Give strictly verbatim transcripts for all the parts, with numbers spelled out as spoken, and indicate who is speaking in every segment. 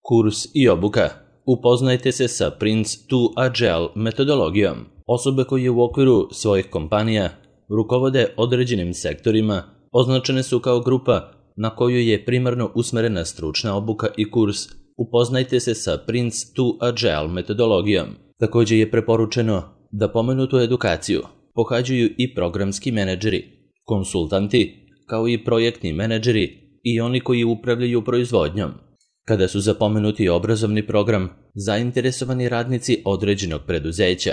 Speaker 1: Kurs i obuka. Upoznajte se sa Prince to Agile metodologijom. Osobe koje u okviru svojih kompanija rukovode određenim sektorima označene su kao grupa na koju je primarno usmerena stručna obuka i kurs. Upoznajte se sa Prince to Agile metodologijom. Također je preporučeno da pomenutu edukaciju pohađaju i programski menadžeri, konsultanti, kao i projektni menadžeri i oni koji upravljaju proizvodnjom. Kada su za pomenuti obrazovni program zainteresovani radnici određenog preduzeća,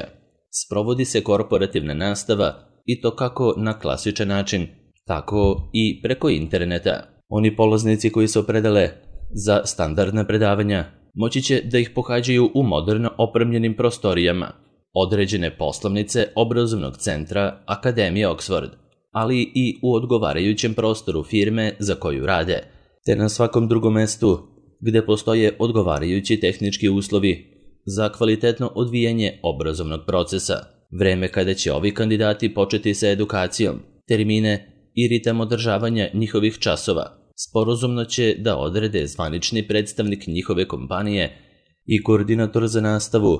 Speaker 1: sprovodi se korporativna nastava i to kako na klasičan način, tako i preko interneta. Oni polaznici koji se opredele za standardna predavanja moći će da ih pohađaju u moderno opremljenim prostorijama određene poslovnice obrazovnog centra Akademije Oxford, ali i u odgovarajućem prostoru firme za koju rade, te na svakom drugom mestu gde postoje odgovarajući tehnički uslovi za kvalitetno odvijanje obrazovnog procesa. Vreme kada će ovi kandidati početi sa edukacijom, termine i ritam održavanja njihovih časova sporazumno će da odrede zvanični predstavnik njihove kompanije i koordinator za nastavu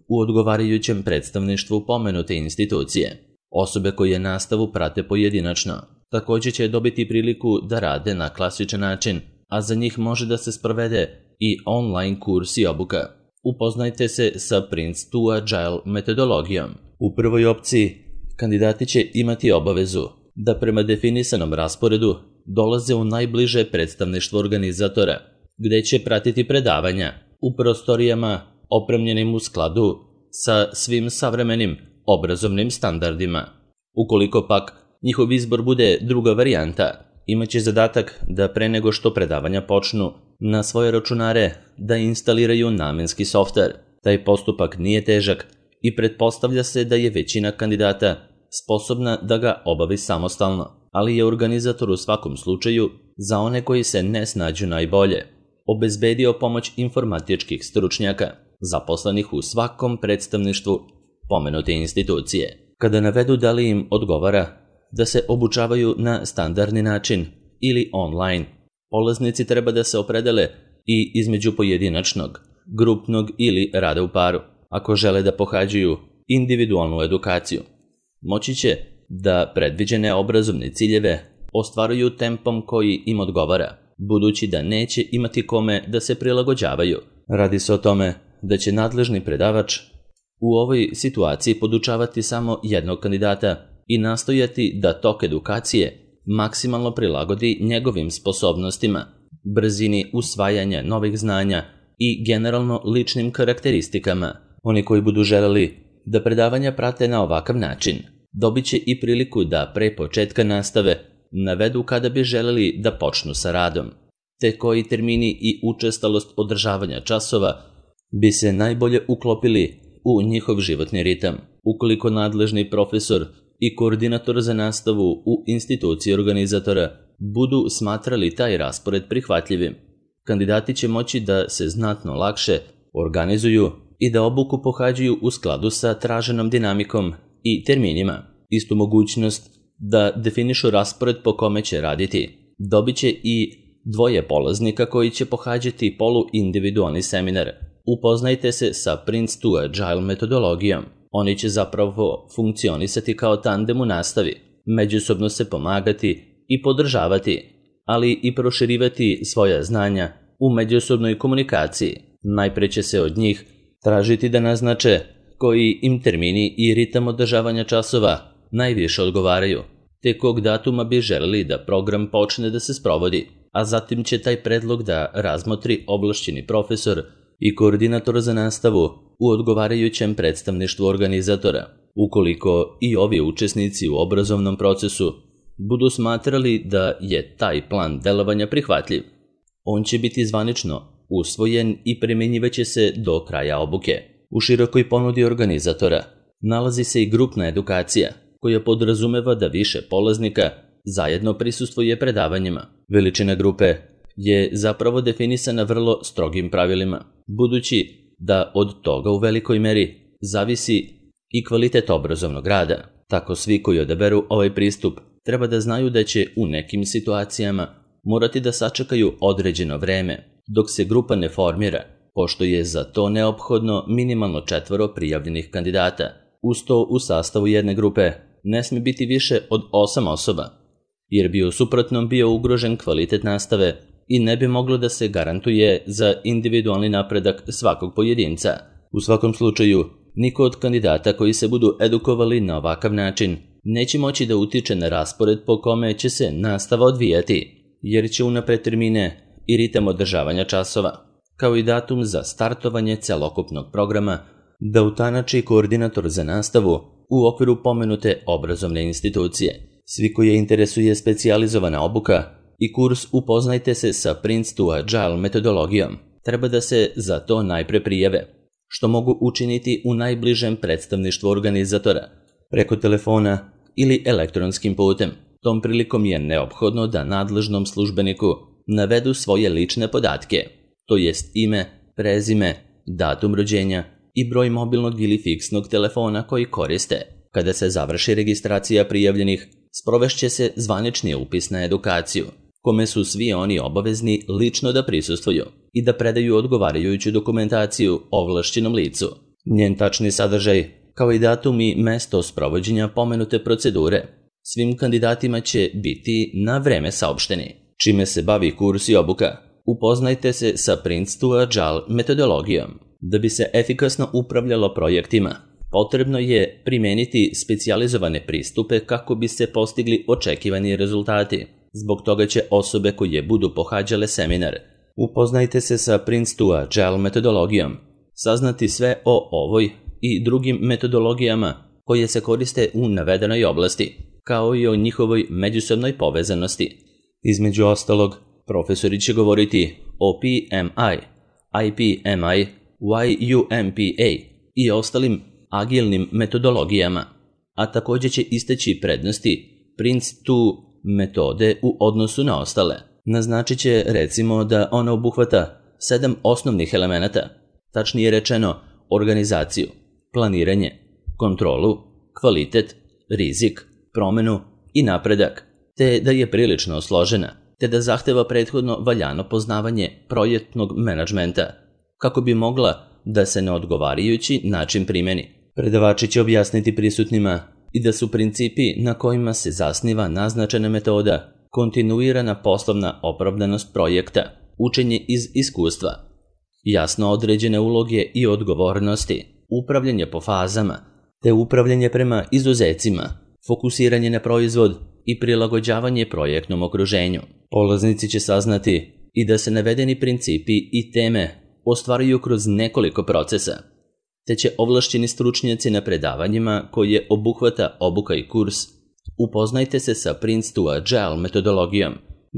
Speaker 1: u odgovarajućem predstavništvu pomenute institucije. Osobe koje nastavu prate pojedinačno također će dobiti priliku da rade na klasičan način, a za njih može da se sprovede i online kurs i obuka. Upoznajte se sa Prince to Agile metodologijom. U prvoj opciji kandidati će imati obavezu da prema definisanom rasporedu dolaze u najbliže predstavništvo organizatora, gde će pratiti predavanja u prostorijama opremljenim u skladu sa svim savremenim obrazovnim standardima. Ukoliko pak njihov izbor bude druga varijanta, imaće zadatak da pre nego što predavanja počnu na svoje računare da instaliraju namenski softver. Taj postupak nije težak i pretpostavlja se da je većina kandidata sposobna da ga obavi samostalno, ali je organizator u svakom slučaju za one koji se ne snađu najbolje obezbedio pomoć informatičkih stručnjaka zaposlenih u svakom predstavništvu pomenute institucije. Kada navedu da li im odgovara da se obučavaju na standardni način ili online, polaznici treba da se opredele i između pojedinačnog, grupnog ili rada u paru. Ako žele da pohađaju individualnu edukaciju, moći će da predviđene obrazovne ciljeve ostvaruju tempom koji im odgovara, budući da neće imati kome da se prilagođavaju. Radi se o tome da će nadležni predavač u ovoj situaciji podučavati samo jednog kandidata i nastojati da tok edukacije maksimalno prilagodi njegovim sposobnostima, brzini usvajanja novih znanja i generalno ličnim karakteristikama. Oni koji budu želeli da predavanja prate na ovakav način, dobit će i priliku da pre početka nastave navedu kada bi želeli da počnu sa radom, te koji termini i učestalost održavanja časova bi se najbolje uklopili u njihov životni ritam. Ukoliko nadležni profesor i koordinator za nastavu u instituciji organizatora budu smatrali taj raspored prihvatljivim, kandidati će moći da se znatno lakše organizuju i da obuku pohađaju u skladu sa traženom dinamikom i terminima. Istu mogućnost da definišu raspored po kome će raditi dobit će i dvoje polaznika koji će pohađati polu-individualni seminar. Upoznajte se sa Prince to Agile metodologijom. Oni će zapravo funkcionisati kao tandem u nastavi, međusobno se pomagati i podržavati, ali i proširivati svoja znanja u međusobnoj komunikaciji. Najpre će se od njih tražiti da naznače koji im termini i ritam održavanja časova najviše odgovaraju, te kog datuma bi želeli da program počne da se sprovodi, a zatim će taj predlog da razmotri ovlašćeni profesor i koordinator za nastavu u odgovarajućem predstavništvu organizatora. Ukoliko i ovi učesnici u obrazovnom procesu budu smatrali da je taj plan delovanja prihvatljiv, on će biti zvanično usvojen i primjenjivaće se do kraja obuke. U širokoj ponudi organizatora nalazi se i grupna edukacija, koja podrazumeva da više polaznika zajedno prisustvuje predavanjima. Veličina grupe je zapravo definisana vrlo strogim pravilima, budući da od toga u velikoj meri zavisi i kvalitet obrazovnog rada. Tako svi koji odaberu ovaj pristup treba da znaju da će u nekim situacijama morati da sačekaju određeno vreme dok se grupa ne formira, pošto je za to neophodno minimalno četvoro prijavljenih kandidata. Uz to u sastavu jedne grupe ne smije biti više od osam osoba, jer bi u suprotnom bio ugrožen kvalitet nastave i ne bi moglo da se garantuje za individualni napredak svakog pojedinca. U svakom slučaju, niko od kandidata koji se budu edukovali na ovakav način neće moći da utiče na raspored po kome će se nastava odvijati, jer će unapred termine i ritam održavanja časova, kao i datum za startovanje celokupnog programa, da utanači koordinator za nastavu u okviru pomenute obrazovne institucije. Svi koji je interesuje specijalizovana obuka i kurs Upoznajte se sa Prince to Agile metodologijom, treba da se za to najpre prijave, što mogu učiniti u najbližem predstavništvu organizatora, preko telefona ili elektronskim putem. Tom prilikom je neophodno da nadležnom službeniku navedu svoje lične podatke, to jest ime, prezime, datum rođenja i broj mobilnog ili fiksnog telefona koji koriste. Kada se završi registracija prijavljenih, sprovešće se zvanični upis na edukaciju, kome su svi oni obavezni lično da prisustvuju i da predaju odgovarajuću dokumentaciju ovlašćenom licu. Njen tačni sadržaj, kao i datum i mesto sprovođenja pomenute procedure, svim kandidatima će biti na vreme saopšteni. Čime se bavi kurs i obuka? Upoznajte se sa Prince to Agile metodologijom. Da bi se efikasno upravljalo projektima, potrebno je primeniti specijalizovane pristupe kako bi se postigli očekivani rezultati. Zbog toga će osobe koje budu pohađale seminar Upoznajte se sa Prince to Agile metodologijom saznati sve o ovoj i drugim metodologijama koje se koriste u navedenoj oblasti, kao i o njihovoj međusobnoj povezanosti. Između ostalog, profesori će govoriti o P M I, I P M I, Y U M P A i ostalim agilnim metodologijama, a također će istaći prednosti Prince to metode u odnosu na ostale. Naznačit će recimo da ona obuhvata sedam osnovnih elemenata, tačnije rečeno organizaciju, planiranje, kontrolu, kvalitet, rizik, promenu i napredak, te da je prilično složena, te da zahteva prethodno valjano poznavanje projektnog menadžmenta, kako bi mogla da se na odgovarajući način primeni. Predavači će objasniti prisutnima i da su principi na kojima se zasniva naznačena metoda kontinuirana poslovna opravdanost projekta, učenje iz iskustva, jasno određene uloge i odgovornosti, upravljanje po fazama, te upravljanje prema izuzecima, fokusiranje na proizvod i prilagođavanje projektnom okruženju. Polaznici će saznati i da se navedeni principi i teme ostvaruju kroz nekoliko procesa, te će ovlašćeni stručnjaci na predavanjima koje obuhvata obuka i kurs Upoznajte se sa Prince to Agile metodologijom,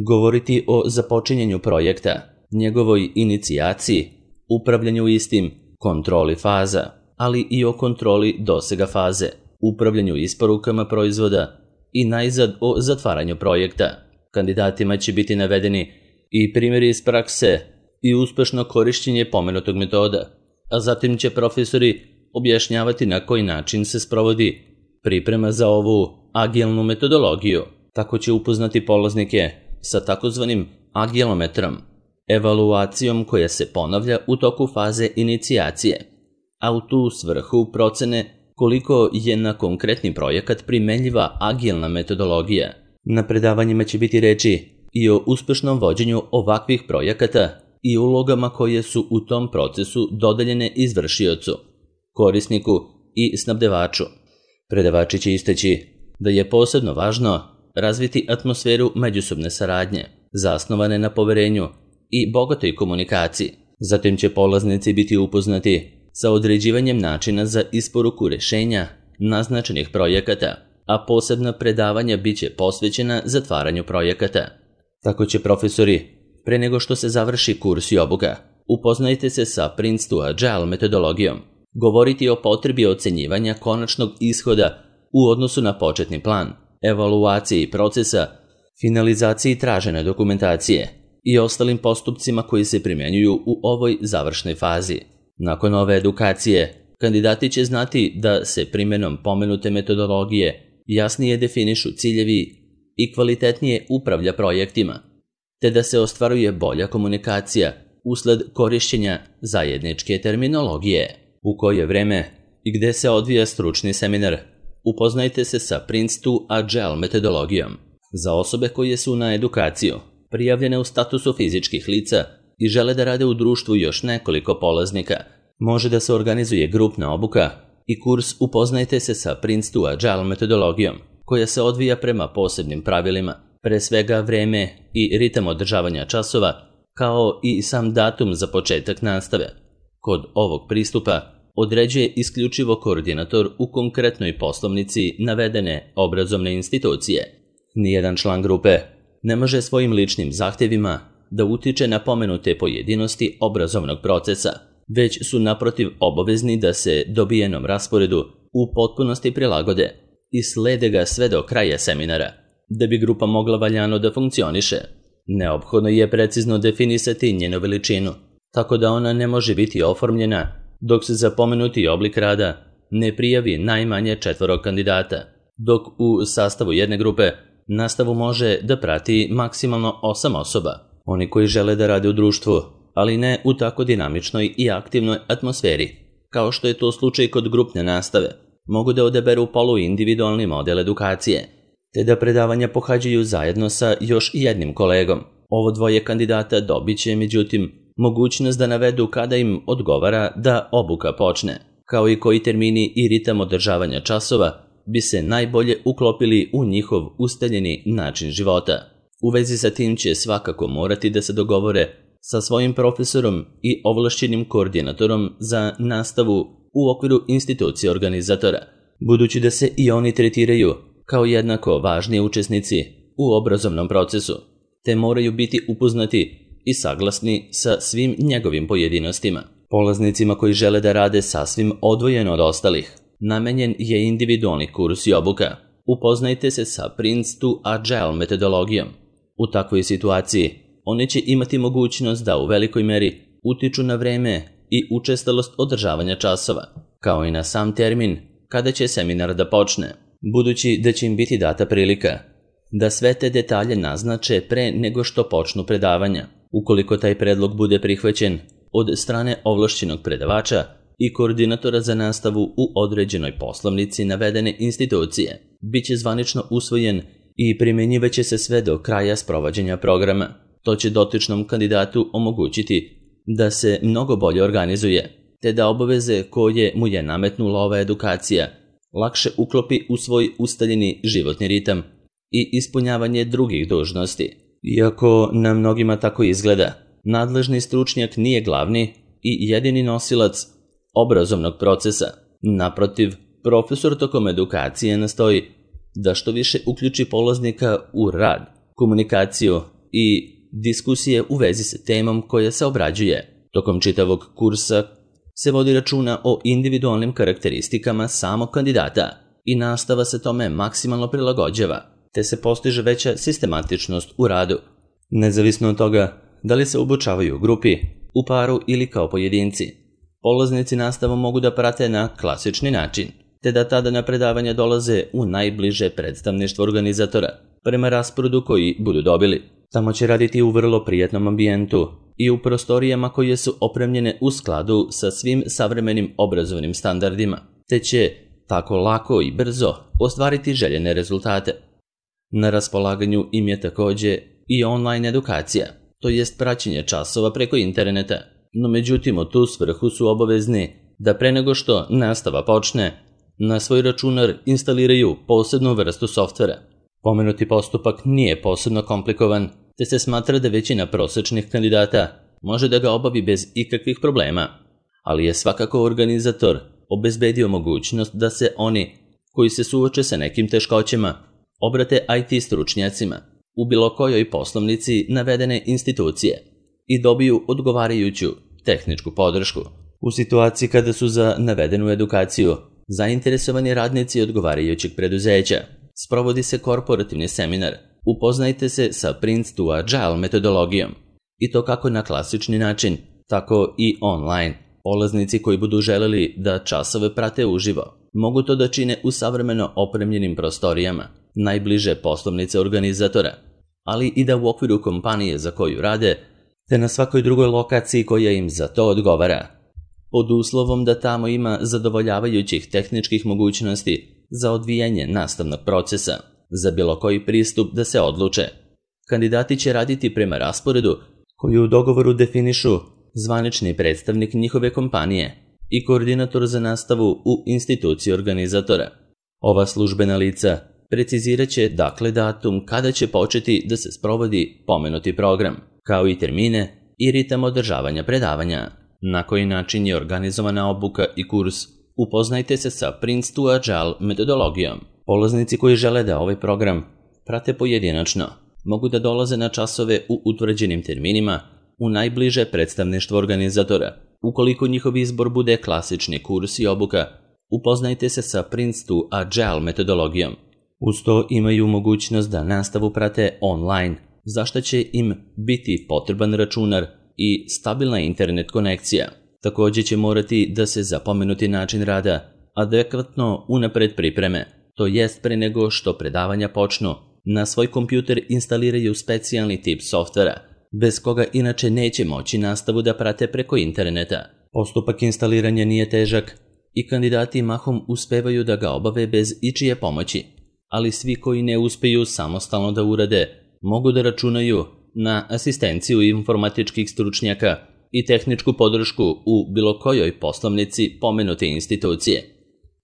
Speaker 1: govoriti o započinjanju projekta, njegovoj inicijaciji, upravljanju istim, kontroli faza, ali i o kontroli dosega faze, upravljanju isporukama proizvoda i najzad o zatvaranju projekta. Kandidatima će biti navedeni i primjeri iz prakse i uspešno korišćenje pomenutog metoda, a zatim će profesori objašnjavati na koji način se sprovodi priprema za ovu agilnu metodologiju. Tako će upoznati polaznike sa takozvanim agilometrom, evaluacijom koja se ponavlja u toku faze inicijacije, a u tu svrhu procene koliko je na konkretni projekat primenljiva agilna metodologija. Na predavanjima će biti reči i o uspešnom vođenju ovakvih projekata i ulogama koje su u tom procesu dodeljene izvršiocu, korisniku i snabdevaču. Predavači će istaći da je posebno važno razviti atmosferu međusobne saradnje, zasnovane na poverenju i bogatoj komunikaciji. Zatim će polaznici biti upoznati sa određivanjem načina za isporuku rješenja naznačenih projekata, a posebna predavanja bit će posvećena zatvaranju projekata. Tako će profesori, pre nego što se završi kurs i obuka, upoznajte se sa Prince to Agile metodologijom, govoriti o potrebi ocenjivanja konačnog ishoda u odnosu na početni plan, evaluaciji procesa, finalizaciji tražene dokumentacije i ostalim postupcima koji se primjenjuju u ovoj završnoj fazi. Nakon ove edukacije, kandidati će znati da se primjenom pomenute metodologije jasnije definišu ciljevi i kvalitetnije upravlja projektima, te da se ostvaruje bolja komunikacija usled korišćenja zajedničke terminologije. U koje vreme i gde se odvija stručni seminar, upoznajte se sa Prince to Agile metodologijom. Za osobe koje su na edukaciju prijavljene u statusu fizičkih lica i žele da rade u društvu još nekoliko polaznika, može da se organizuje grupna obuka i kurs Upoznajte se sa Prince to Agile metodologijom, koja se odvija prema posebnim pravilima, pre svega vreme i ritam održavanja časova, kao i sam datum za početak nastave. Kod ovog pristupa određuje isključivo koordinator u konkretnoj poslovnici navedene obrazovne institucije. Nijedan član grupe ne može svojim ličnim zahtjevima da utiče na pomenute pojedinosti obrazovnog procesa, već su naprotiv obavezni da se dobijenom rasporedu u potpunosti prilagode i slede ga sve do kraja seminara. Da bi grupa mogla valjano da funkcioniše, neophodno je precizno definisati njenu veličinu, tako da ona ne može biti oformljena dok se za pomenuti oblik rada ne prijavi najmanje četvoro kandidata, dok u sastavu jedne grupe nastavu može da prati maksimalno osam osoba. Oni koji žele da rade u društvu, ali ne u tako dinamičnoj i aktivnoj atmosferi, kao što je to slučaj kod grupne nastave, mogu da odaberu poluindividualni model edukacije, te da predavanja pohađaju zajedno sa još jednim kolegom. Ovo dvoje kandidata dobit će, međutim, mogućnost da navedu kada im odgovara da obuka počne, kao i koji termini i ritam održavanja časova bi se najbolje uklopili u njihov ustaljeni način života. U vezi sa tim će svakako morati da se dogovore sa svojim profesorom i ovlašćenim koordinatorom za nastavu u okviru institucije organizatora, budući da se i oni tretiraju kao jednako važni učesnici u obrazovnom procesu, te moraju biti upoznati i saglasni sa svim njegovim pojedinostima. Polaznicima koji žele da rade sasvim odvojeno od ostalih, namenjen je individualni kurs i obuka. Upoznajte se sa Prince to Agile metodologijom. U takvoj situaciji oni će imati mogućnost da u velikoj meri utiču na vreme i učestalost održavanja časova, kao i na sam termin kada će seminar da počne, budući da će im biti data prilika da sve te detalje naznače pre nego što počnu predavanja. Ukoliko taj predlog bude prihvaćen od strane ovlašćenog predavača i koordinatora za nastavu u određenoj poslovnici navedene institucije, bit će zvanično usvojen i primjenjivaće se sve do kraja sprovođenja programa. To će dotičnom kandidatu omogućiti da se mnogo bolje organizuje, te da obaveze koje mu je nametnula ova edukacija lakše uklopi u svoj ustaljeni životni ritam i ispunjavanje drugih dužnosti. Iako na mnogima tako izgleda, nadležni stručnjak nije glavni i jedini nosilac obrazovnog procesa. Naprotiv, profesor tokom edukacije nastoji da što više uključi polaznika u rad, komunikaciju i diskusije u vezi sa temom koja se obrađuje. Tokom čitavog kursa se vodi računa o individualnim karakteristikama samog kandidata i nastava se tome maksimalno prilagođava, te se postiže veća sistematičnost u radu. Nezavisno od toga da li se obučavaju u grupi, u paru ili kao pojedinci, polaznici nastavu mogu da prate na klasični način, te da tada na predavanja dolaze u najbliže predstavništvo organizatora, prema rasporedu koji budu dobili. Tamo će raditi u vrlo prijatnom ambijentu i u prostorijama koje su opremljene u skladu sa svim savremenim obrazovnim standardima, te će tako lako i brzo ostvariti željene rezultate. Na raspolaganju im je također i online edukacija, to jest praćenje časova preko interneta, no međutim u tu svrhu su obavezni da pre nego što nastava počne, na svoj računar instaliraju posebnu vrstu softvera. Pomenuti postupak nije posebno komplikovan, te se smatra da većina prosječnih kandidata može da ga obavi bez ikakvih problema, ali je svakako organizator obezbedio mogućnost da se oni koji se suoče sa nekim teškoćama obrate I T stručnjacima u bilo kojoj poslovnici navedene institucije i dobiju odgovarajuću tehničku podršku. U situaciji kada su za navedenu edukaciju zainteresovani radnici odgovarajućeg preduzeća, sprovodi se korporativni seminar. Upoznajte se sa Prince to Agile metodologijom, i to kako na klasični način, tako i online. Polaznici koji budu želeli da časove prate uživo, mogu to da čine u savremeno opremljenim prostorijama, najbliže poslovnice organizatora, ali i da u okviru kompanije za koju rade te na svakoj drugoj lokaciji koja im za to odgovara, pod uslovom da tamo ima zadovoljavajućih tehničkih mogućnosti za odvijanje nastavnog procesa, za bilo koji pristup da se odluče. Kandidati će raditi prema rasporedu koji u dogovoru definišu zvanični predstavnik njihove kompanije i koordinator za nastavu u instituciji organizatora. Ova službena lica precizirat će dakle datum kada će početi da se sprovodi pomenuti program, kao i termine i ritam održavanja predavanja. Na koji način je organizovana obuka i kurs, upoznajte se sa Prince to Agile metodologijom. Polaznici koji žele da ovaj program prate pojedinačno mogu da dolaze na časove u utvrđenim terminima u najbliže predstavništvo organizatora. Ukoliko njihov izbor bude klasični kurs i obuka, upoznajte se sa Prince to Agile metodologijom. Uz to imaju mogućnost da nastavu prate online, za što će im biti potreban računar i stabilna internet konekcija. Također će morati da se za pomenuti način rada adekvatno unapred pripreme, to jest pre nego što predavanja počnu, na svoj kompjuter instaliraju specijalni tip softvera, bez koga inače neće moći nastavu da prate preko interneta. Postupak instaliranja nije težak i kandidati mahom uspevaju da ga obave bez ičije pomoći, ali svi koji ne uspeju samostalno da urade, mogu da računaju na asistenciju informatičkih stručnjaka i tehničku podršku u bilo kojoj poslovnici pomenute institucije.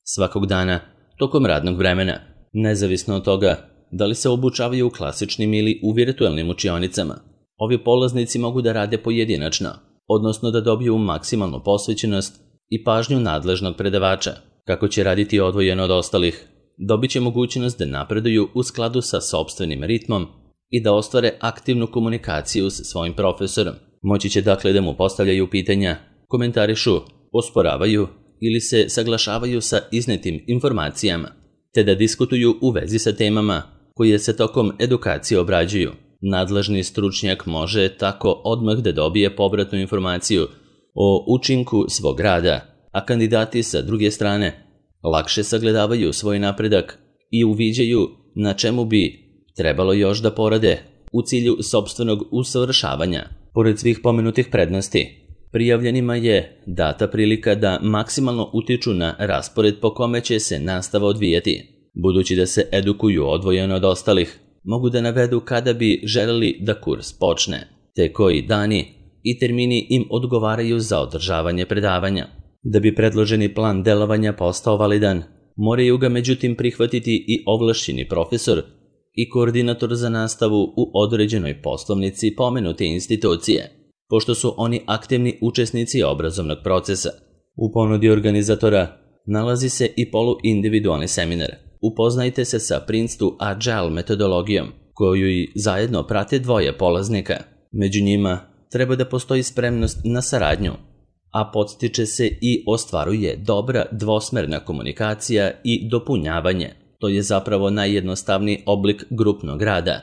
Speaker 1: Svakog dana, tokom radnog vremena, nezavisno od toga da li se obučavaju u klasičnim ili u virtualnim učionicama, ovi polaznici mogu da rade pojedinačno, odnosno da dobiju maksimalnu posvećenost i pažnju nadležnog predavača. Kako će raditi odvojeno od ostalih, dobit će mogućnost da napreduju u skladu sa sopstvenim ritmom i da ostvare aktivnu komunikaciju sa svojim profesorom. Moći će dakle da mu postavljaju pitanja, komentarišu, osporavaju ili se saglašavaju sa iznetim informacijama, te da diskutuju u vezi sa temama koje se tokom edukacije obrađuju. Nadležni stručnjak može tako odmah da dobije povratnu informaciju o učinku svog rada, a kandidati sa druge strane lakše sagledavaju svoj napredak i uviđaju na čemu bi trebalo još da porade u cilju sopstvenog usavršavanja. Pored svih pomenutih prednosti, prijavljenima je data prilika da maksimalno utiču na raspored po kome će se nastava odvijati. Budući da se edukuju odvojeno od ostalih, mogu da navedu kada bi želeli da kurs počne, te koji dani i termini im odgovaraju za održavanje predavanja. Da bi predloženi plan delovanja postao validan, moraju ga međutim prihvatiti i ovlašćeni profesor i koordinator za nastavu u određenoj poslovnici pomenute institucije, pošto su oni aktivni učesnici obrazovnog procesa. U ponudi organizatora nalazi se i poluindividualni seminar. Upoznajte se sa Prince to Agile metodologijom, koju i zajedno prate dvoje polaznika. Među njima treba da postoji spremnost na saradnju, a podstiče se i ostvaruje dobra dvosmerna komunikacija i dopunjavanje. To je zapravo najjednostavniji oblik grupnog rada,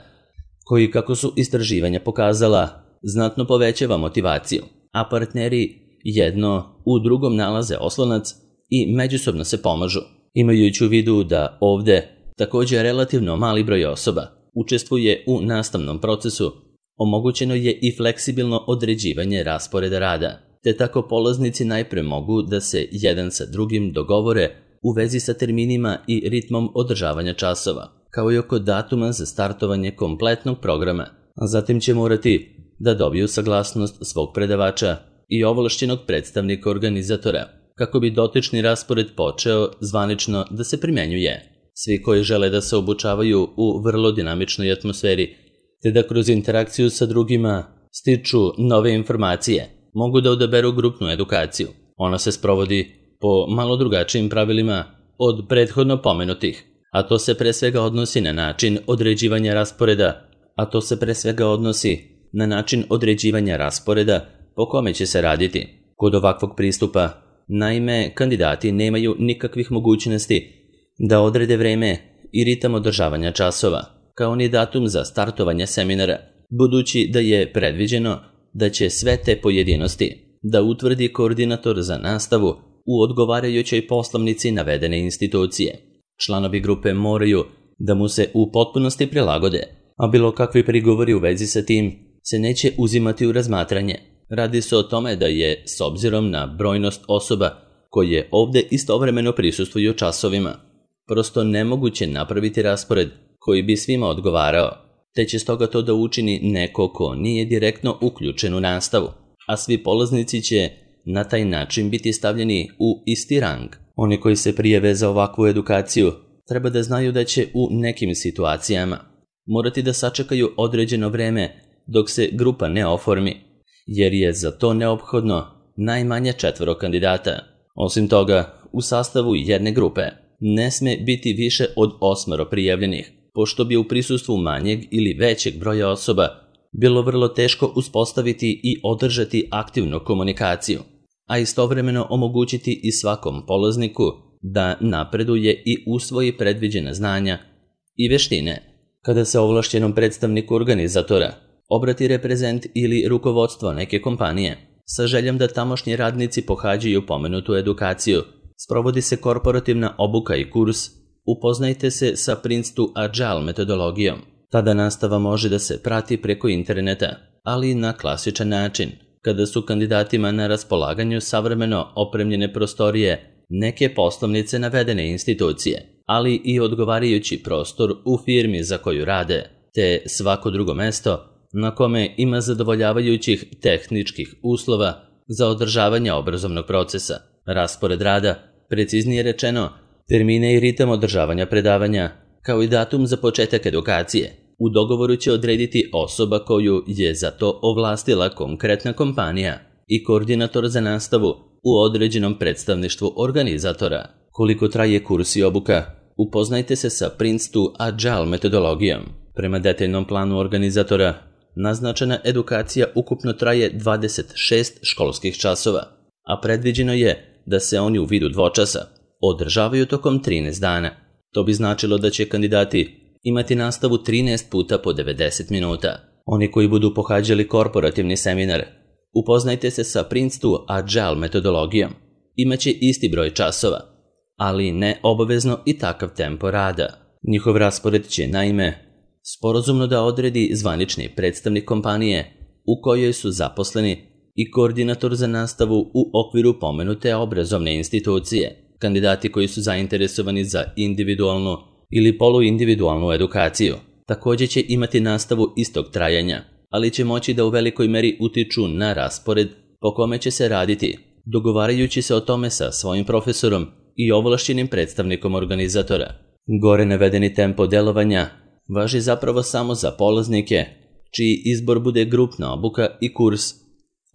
Speaker 1: koji, kako su istraživanja pokazala, znatno povećava motivaciju, a partneri jedno u drugom nalaze oslonac i međusobno se pomažu. Imajući u vidu da ovde također relativno mali broj osoba učestvuje u nastavnom procesu, omogućeno je i fleksibilno određivanje rasporeda rada, te tako polaznici najpre mogu da se jedan sa drugim dogovore u vezi sa terminima i ritmom održavanja časova, kao i oko datuma za startovanje kompletnog programa, a zatim će morati da dobiju saglasnost svog predavača i ovlašćenog predstavnika organizatora, kako bi dotični raspored počeo zvanično da se primenjuje. Svi koji žele da se obučavaju u vrlo dinamičnoj atmosferi, te da kroz interakciju sa drugima stiču nove informacije, mogu da odaberu grupnu edukaciju. Ona se sprovodi po malo drugačijim pravilima od prethodno pomenutih, a to se pre svega odnosi na način određivanja rasporeda, a to se pre svega odnosi na način određivanja rasporeda po kome će se raditi. Kod ovakvog pristupa, naime, kandidati nemaju nikakvih mogućnosti da odrede vreme i ritam održavanja časova, kao ni datum za startovanje seminara, budući da je predviđeno da će sve te pojedinosti da utvrdi koordinator za nastavu u odgovarajućoj poslovnici navedene institucije. Članovi grupe moraju da mu se u potpunosti prilagode, a bilo kakvi prigovori u vezi sa tim se neće uzimati u razmatranje. Radi se o tome da je, s obzirom na brojnost osoba koje ovdje istovremeno prisustvuju časovima, prosto nemoguće napraviti raspored koji bi svima odgovarao, te će stoga to da učini neko ko nije direktno uključen u nastavu, a svi polaznici će na taj način biti stavljeni u isti rang. Oni koji se prijave za ovakvu edukaciju treba da znaju da će u nekim situacijama morati da sačekaju određeno vreme dok se grupa ne oformi, jer je za to neophodno najmanje četvoro kandidata. Osim toga, u sastavu jedne grupe ne sme biti više od osmero prijavljenih, pošto bi u prisustvu manjeg ili većeg broja osoba bilo vrlo teško uspostaviti i održati aktivnu komunikaciju, a istovremeno omogućiti i svakom polazniku da napreduje i usvoji predviđena znanja i veštine. Kada se ovlašćenom predstavniku organizatora obrati reprezent ili rukovodstvo neke kompanije sa željom da tamošnji radnici pohađaju pomenutu edukaciju, sprovodi se korporativna obuka i kurs Upoznajte se sa Prince to Agile metodologijom. Tada nastava može da se prati preko interneta, ali na klasičan način, kada su kandidatima na raspolaganju savremeno opremljene prostorije neke poslovnice navedene institucije, ali i odgovarajući prostor u firmi za koju rade, te svako drugo mesto na kome ima zadovoljavajućih tehničkih uslova za održavanje obrazovnog procesa. Raspored rada, preciznije rečeno, termine i ritam održavanja predavanja, kao i datum za početak edukacije, u dogovoru će odrediti osoba koju je za to ovlastila konkretna kompanija i koordinator za nastavu u određenom predstavništvu organizatora. Koliko traje kurs i obuka? Upoznajte se sa Prince to Agile metodologijom. Prema detaljnom planu organizatora, naznačena edukacija ukupno traje dvadeset šest školskih časova, a predviđeno je da se oni u vidu dvočasa održavaju tokom trinaest dana. To bi značilo da će kandidati imati nastavu trinaest puta po devedeset minuta. Oni koji budu pohađali korporativni seminar, upoznajte se sa Prince to Agile metodologijom, imaće isti broj časova, ali ne obavezno i takav tempo rada. Njihov raspored će, naime, sporazumno da odredi zvanični predstavnik kompanije u kojoj su zaposleni i koordinator za nastavu u okviru pomenute obrazovne institucije. Kandidati koji su zainteresovani za individualnu ili poluindividualnu edukaciju također će imati nastavu istog trajanja, ali će moći da u velikoj meri utiču na raspored po kome će se raditi, dogovarajući se o tome sa svojim profesorom i ovlašćenim predstavnikom organizatora. Gore navedeni tempo delovanja važi zapravo samo za polaznike, čiji izbor bude grupna obuka i kurs.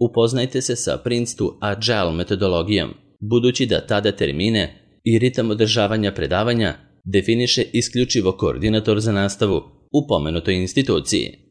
Speaker 1: Upoznajte se sa Prince to Agile metodologijom, budući da tada termine i ritam održavanja predavanja definiše isključivo koordinator za nastavu u pomenutoj instituciji.